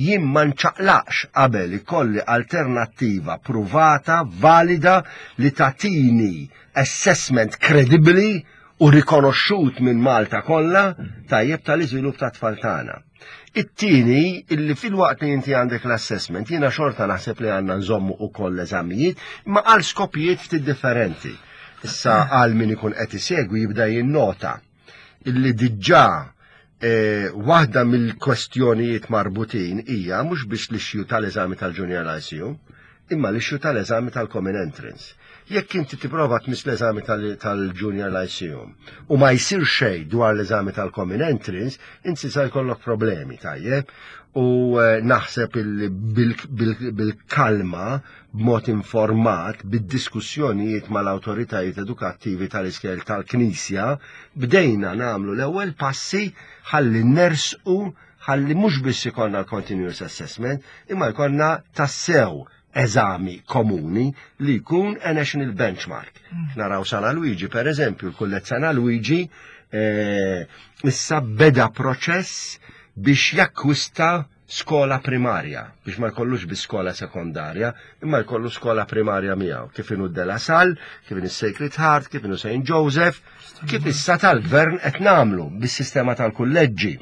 jien ma nċaqlaqx qabel ikolli alternattiva pruvata, valida li tatini assessment kredibbli u rikonoxxut minn Malta kollha tajjeb tal-iżvilupp ta' tfal tagħna. It-tieni, illi filwaqt li inti għandek l-assessment, jiena xorta naħseb li għandna nżommu ukoll l-eżamijiet, imma għal skopijiet ftit differenti. Issa għal min ikun qed isegwi jibda jinnota illi diġà eh, waħda mill-kwestjonijiet marbutin hija mhux biss l-issue tal-eżami tal-Junior Lyceum, imma l-issue tal-eżami tal-Common Entrance. Jekk inti tipprova tmiss l-eżami tal-Junior Lyceum u ma jsir xejn dwar l-eżami tal-Common Entrance, inti sa jkollok problemi, tajjeb? U eh, naħseb bil-kalma b'mod informat bid-diskussjonijiet mal-awtoritajiet edukattivi tal-iskejjel tal-Knisja, bdejna nagħmlu l-ewwel passi ħalli nersqu ħalli mhux biss ikollna l-continuous assessment, imma jkollna tassew eżami komuni li jkun a national benchmark. Naraw San Luigi, per eżempju, il-Kulleġġ San Luigi eh, issa beda proċess biex jakkwista skola primarja, biex ma jkollux bi skola sekondarja, imma jkollu skola primarja miegħu, kif inhu De La Salle, kif inhu Sacred Heart, kif inhu St. Joseph, kif issa tal-gvern qed nagħmlu bis-sistema tal-kulleġġi.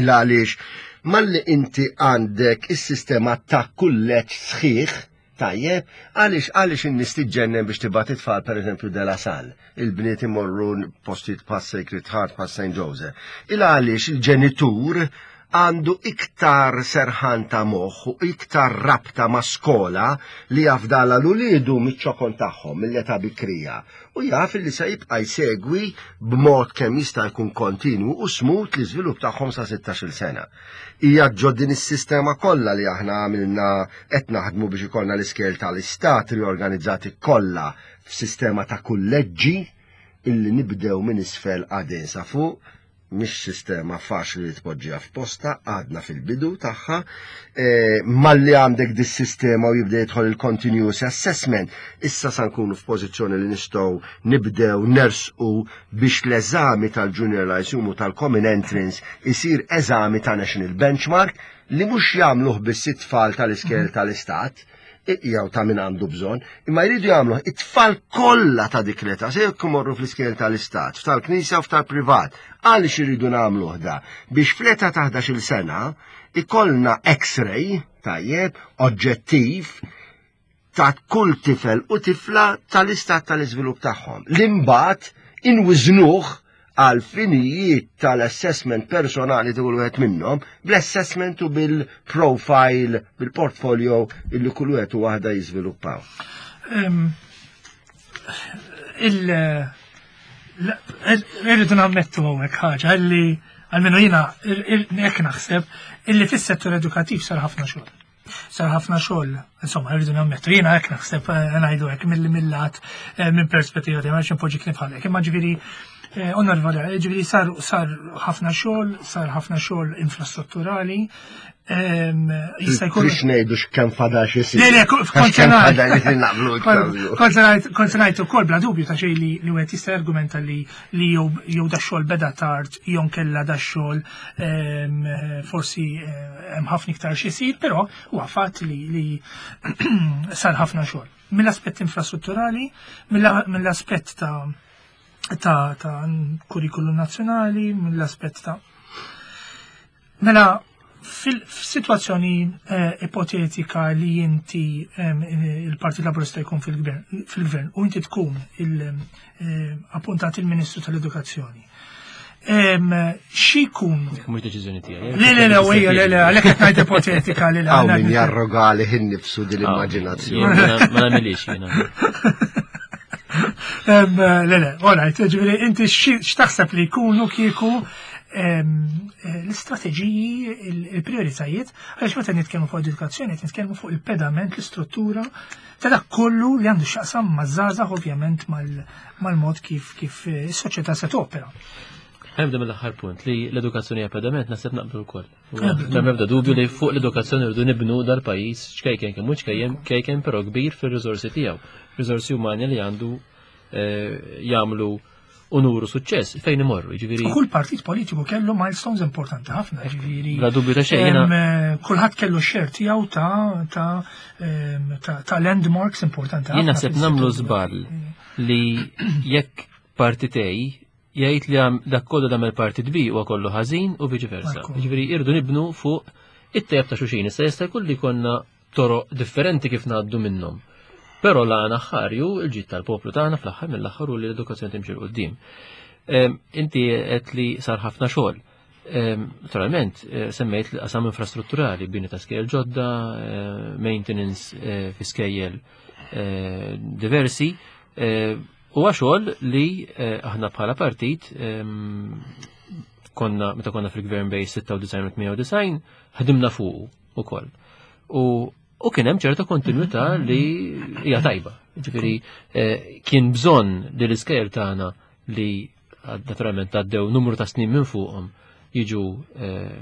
Il għaliex malli inti għandek is-sistema ta' kulleġġ sħiħ, tajjeb, għaliex għaliex in-nies tiġġennen biex tibgħat it-tfal pereżempju De La Salle, il-bniet imorru postijiet bħal Sacred Heart, bħal St. Joseph. Il għaliex il-ġenitur għandu iktar serħan ta' moħħ u iktar rabta ma' skola li jafdala l-uliedu miċ-ċokon tagħhom mill-età bikrija u jaf li se jibqa' jsegwi b'mod kemm jista' jkun kontinwu u smooth l-iżvilupp tagħhom sa 16-il sena. Hija ġo din is-sistema kollha li aħna għamilna qed naħdmu biex ikollna l-iskejjel tal-istat riorganizzati kollha f'sistema ta' kulleġġi illi nibdew minn isfel għadin sa fuq, mhix sistema faċli li tpoġġiha f'posta, għadna fil-bidu tagħha. E, malli għandek dis-sistema u jibda jidħol il-continuous assessment, issa sa nkunu f'pożizzjoni li nistgħu nibdew nersqu biex l-eżami tal-Junior Lyceum u tal-Common Entrance isir eżami ta' National Benchmark li mhux jagħmluh biss it-tfal tal-iskejjel tal-istat, jew ta' min għandu bżonn, imma jridu jagħmlu it-tfal kollha ta' dik l-età, se jekk imorru fl-iskejjel tal-istat, f'tal-knisja u f'tal-privat. Għaliex iridu nagħmluh da? Biex fl-età ta' 11-il sena ikollna x-ray, tajjeb, oġġettiv, ta' kull tifel u tifla tal-istat tal-iżvilupp tagħhom. L-imbagħad inwiżnuh għal finijiet tal-assessment personali ta' kull wieħed minnhom, bl-assessment u bil-profile, bil-portfolio illi kull wieħed u waħda jiżviluppaw. Il irridu nammettu hawnhekk ħaġa illi għalmenu jiena hekk naħseb illi fis-settur edukattiv sar ħafna xogħol. Sar ħafna xogħol, insomma, rridu nammettu, jiena hekk naħseb eh, ngħidu hekk mill-lat eh, minn perspettiva tiegħi ma npoġġi kliem bħalek, imma ġifieri eh, onorevoli, ġifieri sar sar ħafna xogħol, sar ħafna xogħol infrastrutturali, jista' jkun. Biex ngħidu x'kemm fadal xi Le, le, kont ngħid ukoll bla dubju ta' xejn li wieħed jista' jargumenta li jew da xogħol beda tard jew nkella da xogħol forsi hemm ħafna iktar xi jsir, però huwa fatt li, li sar ħafna xogħol. Mill-aspett infrastrutturali, mill-aspett ta' ta' ta' kurrikulum nazzjonali, mill-aspett ta' Mela, fil-situazzjoni eh, ipotetika li inti il-Partit Laburista jkun fil-gvern u inti tkun il-appuntat eh, il-Ministru tal-Edukazzjoni. Xi jkunu? Mhux deċiżjoni tiegħi. Le, le, le, ejja, le, le, għalhekk qed ngħid ipotetika li Hawn min jarroga għalih innifsu din l-immaġinazzjoni. Ma nagħmilix jiena. Le, le, all right, ġifieri inti x'taħseb li jkunu kieku l-istrateġiji, il-prioritajiet, għaliex meta nitkellmu fuq edukazzjoni, qed nitkellmu fuq il-pedament, l-istruttura ta' dak kollu li għandu x'jaqsam maż-żgħażagħ ovvjament mal-mod kif kif is-soċjetà se topera. Nibda mill-aħħar punt li l-edukazzjoni hija pedament naħseb naqblu wkoll. M'hemm ebda dubju li fuq l-edukazzjoni rridu nibnu dal-pajjiż ċkejken kemm hu ċkejjen kejken però kbir fir-riżorsi tiegħu. Riżorsi umani li għandu eh, jagħmlu u nuru suċċess fejn imorru, jiġifieri. Kull partit politiku kellu milestones importanti ħafna, jiġifieri. Bla dubju ta' xejn. Eh, kulħadd kellu xer tiegħu ta' ta' ta' landmarks importanti ħafna. Jien naħseb nagħmlu żball li jekk partitej jgħid li dak kollu dam il-partit B huwa kollu ħażin u viċi versa. Jiġifieri irdu nibnu fuq it-tejb ta' xulxin. Issa jista' jkun li konna toroq differenti kif ngħaddu minnhom. Però l-għana ħarju il-ġid tal-poplu tagħna fl-aħħar mill-aħħar u li l-edukazzjoni timxi 'l quddiem. Inti qed li sar ħafna xogħol. Naturalment, eh, semmejt l-qasam infrastrutturali, bini ta' skejjel ġodda, eh, maintenance eh, fi skejjel diversi, huwa xogħol li aħna bħala partit konna meta konna fil-gvern bej 96 u 98 ħdimna fuqu ukoll. U u kien hemm ċerta kontinwità li hija tajba. Ġifieri eh, kien bżonn li l-iskejjel tagħna li naturalment għaddew numru ta' snin minn fuqhom jiġu eh,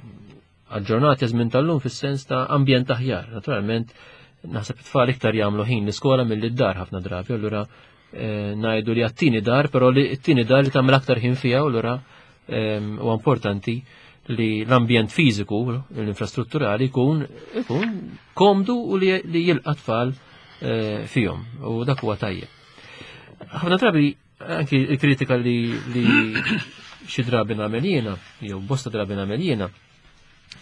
aġġornati żmien tal-lum fis-sens ta' ambjent aħjar. Naturalment naħseb it-tfal iktar jagħmlu ħin l-iskola milli d-dar ħafna drabi, allura eh, ngħidu li għat-tieni dar, però li t-tieni dar li tagħmel aktar ħin fiha, allura huwa importanti li l-ambjent fiżiku, l-infrastrutturali jkun ikun komdu u li jilqa' tfal eh, fihom u dak huwa tajjeb. Ħafna drabi anki l-kritika li, li xi drabi nagħmel jiena, jew bosta drabi nagħmel jiena,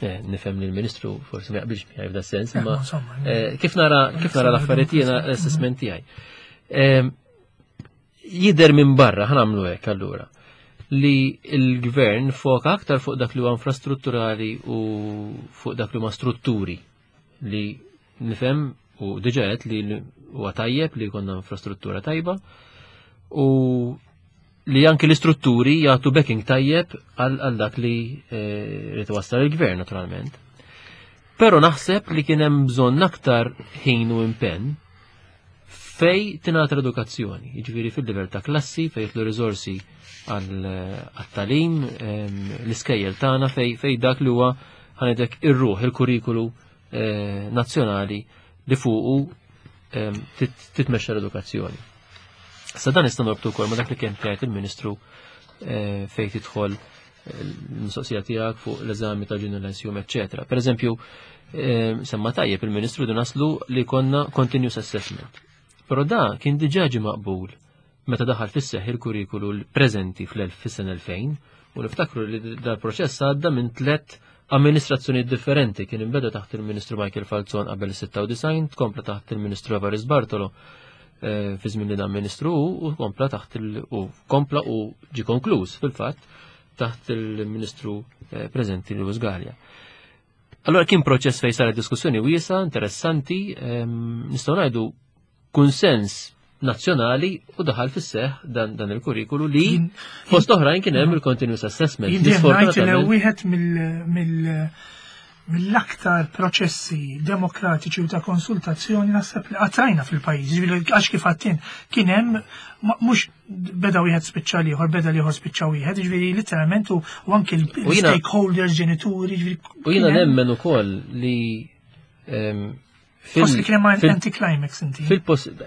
eh, nifhem li l-Ministru forsi ma jaqbilx miegħi f'da sens, imma eh, kif nara kif nara l-affarijiet jiena l-assessment tiegħi. Jidher minn barra, ħa nagħmlu hekk allura, li l-gvern foka aktar fuq dak li huwa infrastrutturali u fuq dak li huma strutturi li nifhem u diġa qed li huwa tajjeb li jkollna infrastruttura tajba u li anki l-istrutturi jagħtu backing tajjeb għal dak li eh, rid iwassal il-gvern naturalment. Però naħseb li kien hemm bżonn aktar ħin u impenn fej tingħata l-edukazzjoni, jiġifieri fil-livell ta' klassi, fej jitlu riżorsi għat-talim, l-iskejjel tagħna fej fej dak li huwa ħanedek ir-ruħ il-kurrikulu eh, nazzjonali li fuqu titmexxa l-edukazzjoni. Sa dan nista' norbtu wkoll ma' dak li kien jgħid il-Ministru eh, fejn tidħol l-mistoqsija tiegħek fuq l-eżami ta' Junior Lyceum, eċċetera. Per eżempju, eh, semma tajjeb il-Ministru du naslu li konna continuous assessment. Però da kien diġà ġie maqbul meta daħal fis-seħ il-kurrikulu l-preżenti fl-sena 2000 u niftakru li dal-proċess għadda minn tlet amministrazzjoni differenti kien imbeda taħt il-Ministru Michael Falzon qabel 96, tkompla taħt il-Ministru Evaris Bartolo eh, fi żmien li dan Ministru u kompla taħt il u kompla u ġi konkluż fil-fatt taħt il-Ministru eh, preżenti Lewis Gallia. Allora kien proċess fejn saret diskussjoni wiesa, interessanti, ehm, nistgħu ngħidu kunsens nazzjonali u daħal fis-seħ dan, dan il-kurrikulu li fost oħrajn kien hemm il-continuous assessment. Jien wieħed mill mill-aktar proċessi demokratiċi u ta' konsultazzjoni naħseb li qatrajna fil-pajjiż, jiġifieri għax kif għattin kien hemm mhux beda wieħed spiċċa l-ieħor, beda l-ieħor spiċċa wieħed, jiġifieri literalment u anke l-stakeholders, ġenituri, jiġifieri. U jiena nemmen ukoll li Forsi kien hemm anti-climax inti. Fil-post,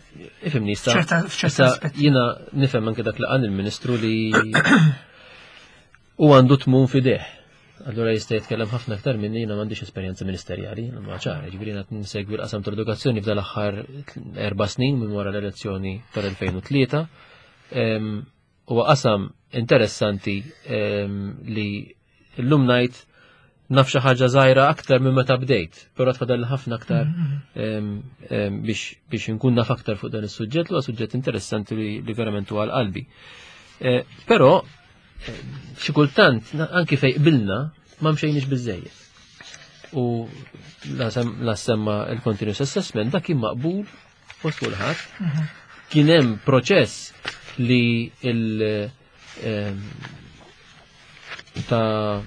ifimni, issa jiena nifhem anke dak li qal il-Ministru li u għandu tmun fideh. Allura jista' jitkellem ħafna aktar minni jiena m'għandix esperjenza ministerjali, ma ċara, ġifieri jiena nsegwi l-qasam tal-edukazzjoni f'dal aħħar erba' snin minn wara l-elezzjoni tal-2003. Huwa qasam interessanti li llum ngħid naf xi ħaġa żgħira aktar minn meta bdejt, però tfadal ħafna aktar mm-hmm. biex inkun naf aktar fuq dan is-suġġett li huwa suġġett interessanti li verament huwa qalbi. Eh, però Xi kultant anki fejn qbilna ma mxejniex biżejjed. U la semma il-continuous assessment dak kien maqbul fost kulħadd. Kien hemm proċess li il ta'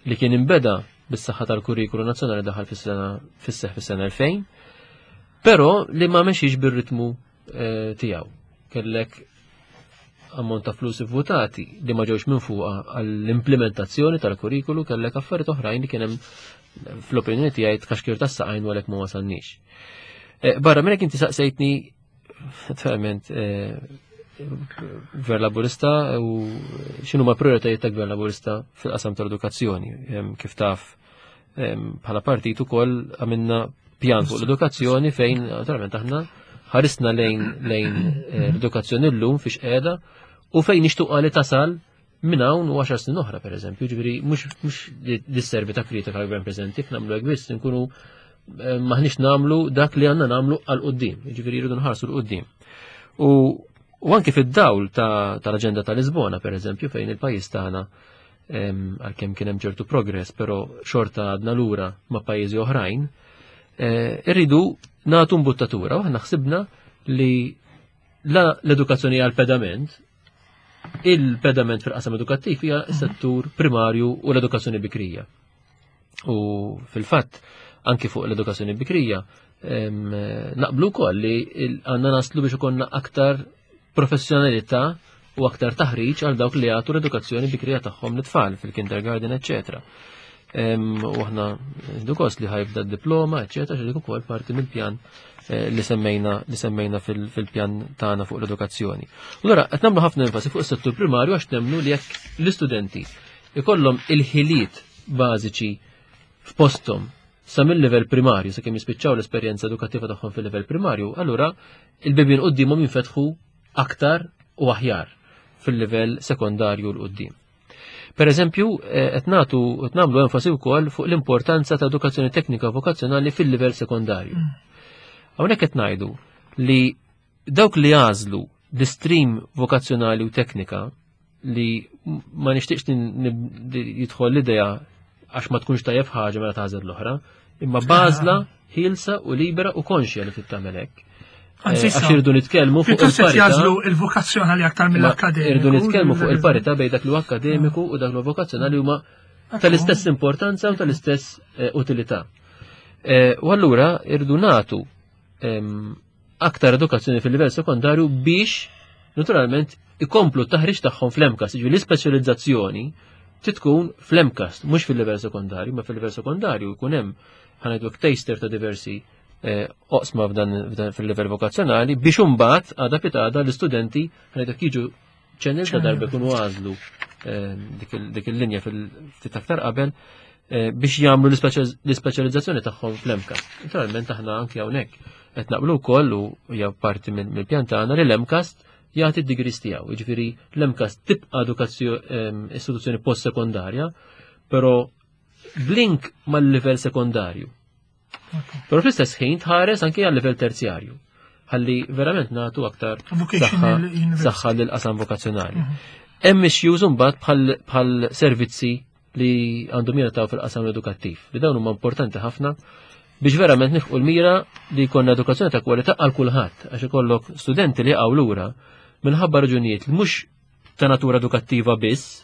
li kien imbeda bis-saħħa tal-kurrikulu nazzjonali daħal fis-sena fis-seħħ fis-sena 2000, però li ma mexiex bir-ritmu tiegħu. Kellek ammont ta' flus votati li ma ġewx minn fuqha għall-implementazzjoni tal-kurrikulu, kellek affarijiet oħrajn li kien hemm fl-opinjoni tiegħi tkaxkir tas-saqajn u għalhekk ma wasalniex. Barra minn hekk inti saqsejtni naturalment Gvern Laburista u x'inhu ma prioritajiet ta' Gvern Laburista fil-qasam tal-edukazzjoni. Kif taf bħala partit ukoll għamilna pjan fuq l-edukazzjoni fejn naturalment aħna ħarisna lejn l-edukazzjoni llum fiex qiegħda u fejn nixtuqa li tasal minn hawn u 10 snin oħra pereżempju, ġifieri mhux li sservi ta' kritika għall-gvern preżenti, nagħmlu hekk biss nkunu maħniex nagħmlu dak li għandna nagħmlu għal quddiem, jiġifieri jridu nħarsu l quddiem. U anki fid-dawl tal-aġenda ta' Lisbona pereżempju fejn il-pajjiż tagħna għalkemm kien hemm ċertu progress, però xorta għadna lura ma' pajjiżi oħrajn, irridu nagħtu mbuttatura u aħna ħsibna li l-edukazzjoni għal pedament, il-pedament fil-qasam edukattiv hija s-settur primarju u l-edukazzjoni bikrija. U fil-fatt, anki fuq l-edukazzjoni bikrija, naqblu wkoll li għandna naslu biex ikollna aktar professjonalità u aktar taħriġ għal dawk li jagħtu l-edukazzjoni bikrija tagħhom l-tfal fil-kindergarten, eċċetera. U aħna gost li ħajbda d-diploma, eċċetera, xi dik ukoll parti mill-pjan li semmejna fil-pjan tagħna fuq l-edukazzjoni. Allura qed nagħmlu ħafna enfasi fuq is-settur primarju għax nemmnu li jekk l-istudenti ikollhom il-ħiliet bażiċi f'posthom sa mill-livell primarju, sakemm jispiċċaw l-esperjenza edukattiva tagħhom fil-livell primarju, allura il-bibien quddiemhom jinfetħu aktar u aħjar fil-livell sekondarju l quddiem. Per eżempju, qed nagħtu qed nagħmlu enfasi wkoll fuq l-importanza ta' edukazzjoni teknika vokazzjonali fil-livell sekondarju. Hawnhekk qed ngħidu li dawk li għażlu l-istream vokazzjonali u teknika li ma nixtieqx jidħol l-idea għax ma tkunx tajjeb ħaġa mela tagħżel l-oħra, imma bażla ħielsa u libera u konxja li tittamel hekk. Anzi, Għax irridu nitkellmu fuq Pjuttost qed il-parità. jagħżlu il-vokazzjonali aktar mill-akkademiku. Irridu nitkellmu fuq il-parità bejn dak li huwa akkademiku u dak li huwa vokazzjonali huma tal-istess importanza u tal-istess utilità. U allura irridu nagħtu aktar edukazzjoni fil-livell sekondarju biex naturalment ikomplu t-taħriġ tagħhom fl-MCAST, jiġifieri l-ispeċjalizzazzjoni titkun fl-MCAST, mhux fil-livell sekondarju, ma fil-livell sekondarju jkun hemm ħanajdu taster ta' diversi oqsma f'dan fil-livell vokazzjonali biex imbagħad għada pitada l-istudenti ħanajdu jiġu ċenil ta' darba jkunu għażlu dik il-linja fil-ftit aktar qabel biex jagħmlu l-ispeċjalizzazzjoni tagħhom fl-MCAST. Naturalment aħna anki hawnhekk qed naqblu wkoll u hija parti mill-pjan tagħna li l-MCAST jagħti d-degrees tiegħu. Jiġifieri l-MCAST tibqa' istituzzjoni post-sekondarja, però blink mal-livell sekondarju. Però fl-istess ħin tħares anki għal-livell terzjarju. Ħalli verament nagħtu aktar Vocational university. saħħa lill-qasam vokazzjonali. Hemm issues imbagħad bħal servizzi li għandhom jingħataw fil-qasam edukattiv, li dawn huma importanti ħafna biex verament nifqu l-mira li jkollna edukazzjoni ta' kwalità għal kulħadd, għax ikollok studenti li jaqgħu lura minħabba raġunijiet li mhux ta' natura edukattiva biss,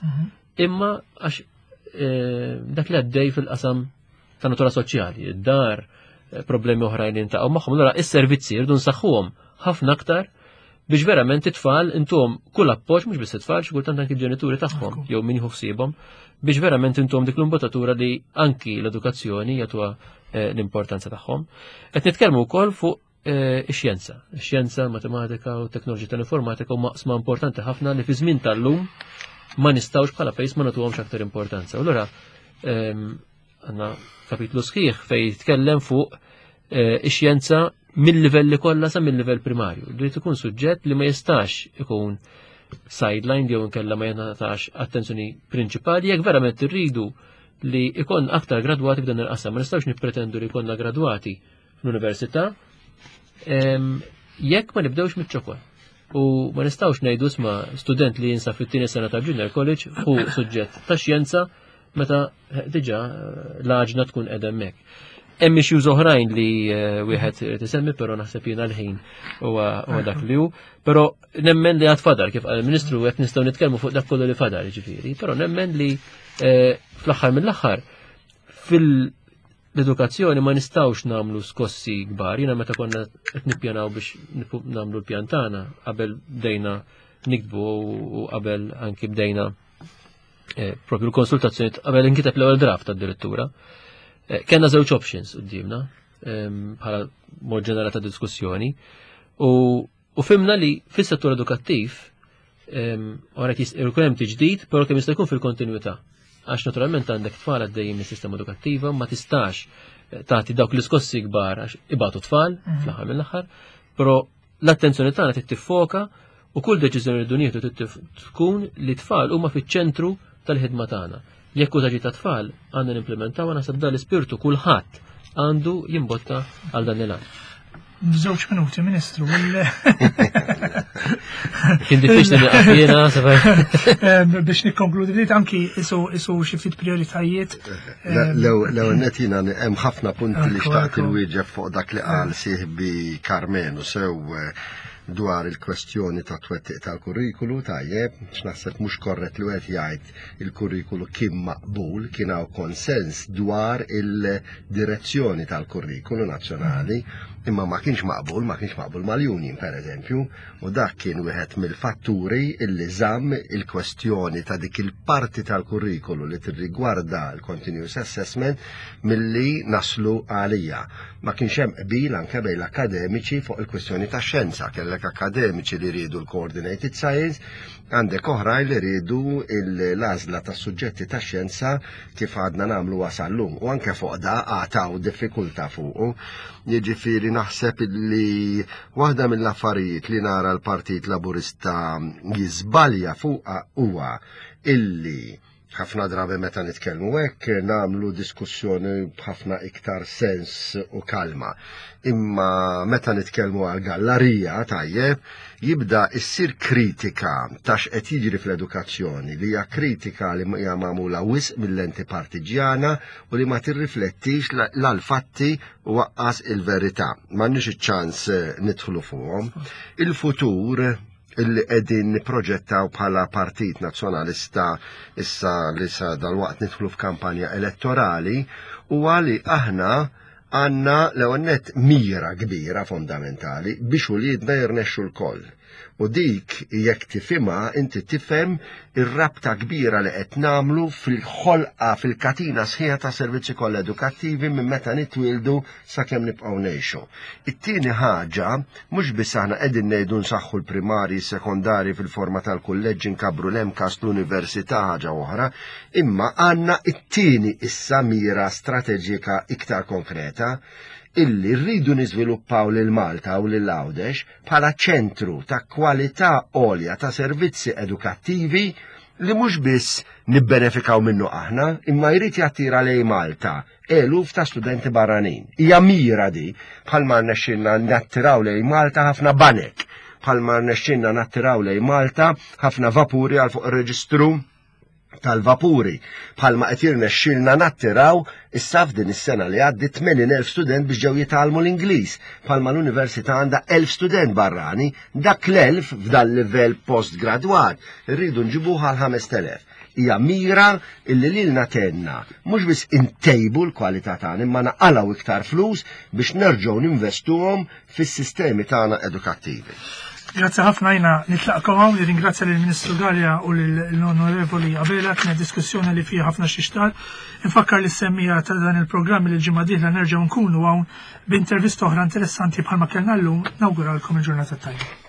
imma għax dak li għaddej fil-qasam ta' natura soċjali, id-dar, problemi oħrajn li jintaqgħu magħhom. Allura is-servizzi rridu nsaħħuhom ħafna aktar biex verament it-tfal intuhom kull appoġġ, mhux biss it-tfal, xi kultant anki l-ġenituri tagħhom jew min jieħu ħsiebhom, biex verament intuhom dik l-imbottatura li anki l-edukazzjoni jagħtuha l-importanza tagħhom. Qed nitkellmu wkoll fuq ix-xjenza. Ix-xjenza, matematika u teknoloġija tal-informatika huma qsma importanti ħafna li fi żmien tal-lum ma nistgħux bħala pajjiż ma nagħtuhomx aktar importanza. U allura għandna kapitlu sħiħ fejn jitkellem fuq ix-xjenza mill-livelli kollha sa mill-livell primarju. Li tkun suġġett li ma jistax ikun sideline jew inkella ma jingħatax attenzjoni prinċipali jekk verament irridu li ikon aktar gradwati f'dan il-qasam. Ma nistgħux nippretendu li jkollna gradwati fl-università jekk ma nibdewx miċ-ċokon. U ma nistgħux ngħidu isma' student li jinsab fit-tieni sena ta' junior college hu suġġett ta' xjenza meta diġà l-għaġna tkun qiegħda hemmhekk. Hemm issues oħrajn li wieħed irid isemmi, però naħseb jiena l-ħin huwa dak li hu. Però nemmen li għad fadal, kif qal il-Ministru, qed nistgħu nitkellmu fuq dak kollu li fadal, jiġifieri, però nemmen li fl-aħħar mill-aħħar fil-edukazzjoni ma nistgħux nagħmlu skossi kbar. Jiena meta konna qed nippjanaw biex nagħmlu l-pjan tagħna qabel bdejna niktbu u qabel anki bdejna propju l-konsultazzjoni qabel inkiteb l-ewwel draft tad-direttura. Kellna żewġ options quddiemna bħala mod ġenerali ta' diskussjoni u fhimna li fis-settur edukattiv ora jkun hemm tiġdid, però kemm jista' jkun fil-kontinwità. Għax naturalment għandek tfal għaddejjin mis-sistema edukattiva, ma tistax tagħti dawk l-iskossi kbar għax ibatu tfal fl-aħħar mill-aħħar, però l-attenzjoni tagħna trid tiffoka u kull deċiżjoni li dun nieħdu trid tkun li tfal huma fiċ-ċentru tal-ħidma tagħna. Jekk hu ta' tfal għandna nimplementaw, naħseb dan l-ispirtu kulħadd għandu jimbotta għal dan il-għan. Żewġ minuti, Ministru. Kien diffiċli nieqaf jiena, Biex nikkonkludi ftit anki isu xi ftit prioritajiet. L-ewwel nett jiena hemm ħafna punti li xtaqt inwieġeb fuq dak li qal sieħbi Karmenu sew dwar il-kwestjoni ta' twettiq tal-kurrikulu, tajjeb, x'naħseb mhux korrett li wieħed jgħid il-kurrikulu kien maqbul, kien hawn konsens dwar il-direzzjoni tal-kurrikulu nazzjonali, imma ma kienx maqbul, ma kienx maqbul mal-union per eżempju, u dak kien wieħed mill-fatturi illi żamm il-kwestjoni ta' dik il-parti tal-kurrikulu li tirrigwarda l-continuous assessment milli naslu għalija. Ma kienx hemm qbil anke bejn l-akademiċi fuq il-kwestjoni ta' xjenza, kellek akademiċi li riedu l-coordinated science, għandek oħrajn li riedu l-għażla ta' suġġetti ta' xjenza kif għadna nagħmlu wasallum, u anke fuq da għataw diffikultà fuqu. Jiġifieri naħseb li waħda mill-affarijiet li nara l-Partit Laburista jiżbalja fuqha huwa illi ħafna drabi meta nitkellmu hekk nagħmlu diskussjoni b'ħafna iktar sens u kalma. Imma meta nitkellmu għal gallarija tajjeb, jibda issir kritika ta' x'qed jiġri fl-edukazzjoni, li hija kritika li hija magħmula wisq mill-lenti partiġjana u li ma tirriflettix l-fatti u waqqas il-verità. M'għandniex iċ-ċans nidħlu fuqhom. Il-futur illi qegħdin nipproġettaw bħala Partit Nazzjonalista issa li sa dal-waqt nidħlu f'kampanja elettorali huwa li aħna għandna l-ewwel nett mira kbira fondamentali biex uliedna jirnexxu l-koll. U dik jekk tifhimha inti tifhem ir-rabta kbira li qed nagħmlu fil-ħolqa fil-katina sħiħa ta' servizzi kollha edukattivi minn meta nitwieldu sakemm nibqgħu ngħixu. It-tieni ħaġa, mhux biss aħna qegħdin ngħidu nsaħħu l-primarji, sekondari fil-forma tal-kulleġġi, nkabbru l-MCAST, l-università, ħaġa oħra, imma għandna it-tieni issa mira strateġika iktar konkreta illi rridu niżviluppaw lil Malta u lil Għawdex bħala ċentru ta' kwalità għolja ta' servizzi edukattivi li mhux biss nibbenefikaw minnu aħna, imma jrid jattira lejn Malta eluf ta' studenti barranin. Hija mira di, bħalma rnexxilna nattiraw lejn Malta ħafna banek, bħalma rnexxilna nattiraw lejn Malta ħafna vapuri għal fuq ir-reġistru tal-vapuri, bħalma qed jirnexxilna nattiraw issa f'din is-sena li għaddiet 80,000 student biex ġew jitgħallmu l-Ingliż, bħalma l-università għandha 1,000 student barrani, dak l-1000 f'dan livell postgradwat irridu nġibuha għal 5,000. Hija mira illi lilna tenna mhux biss intejbu l-kwalità tagħna imma naqalgħu iktar flus biex nerġgħu ninvestuhom fis-sistemi tagħna edukattivi. Grazzi ħafna, jina nitlaqkom hawn, nirringrazzja lill-Ministru Galea u lill-Onorevoli Abela, kienet diskussjoni li fiha ħafna xixtar. Infakkar li semmija ta' dan il-programm li l-ġimgħa dieħla nerġgħu nkunu hawn b'intervista oħra interessanti bħalma kellna llum. Nawguralkom il-ġurnata tajba.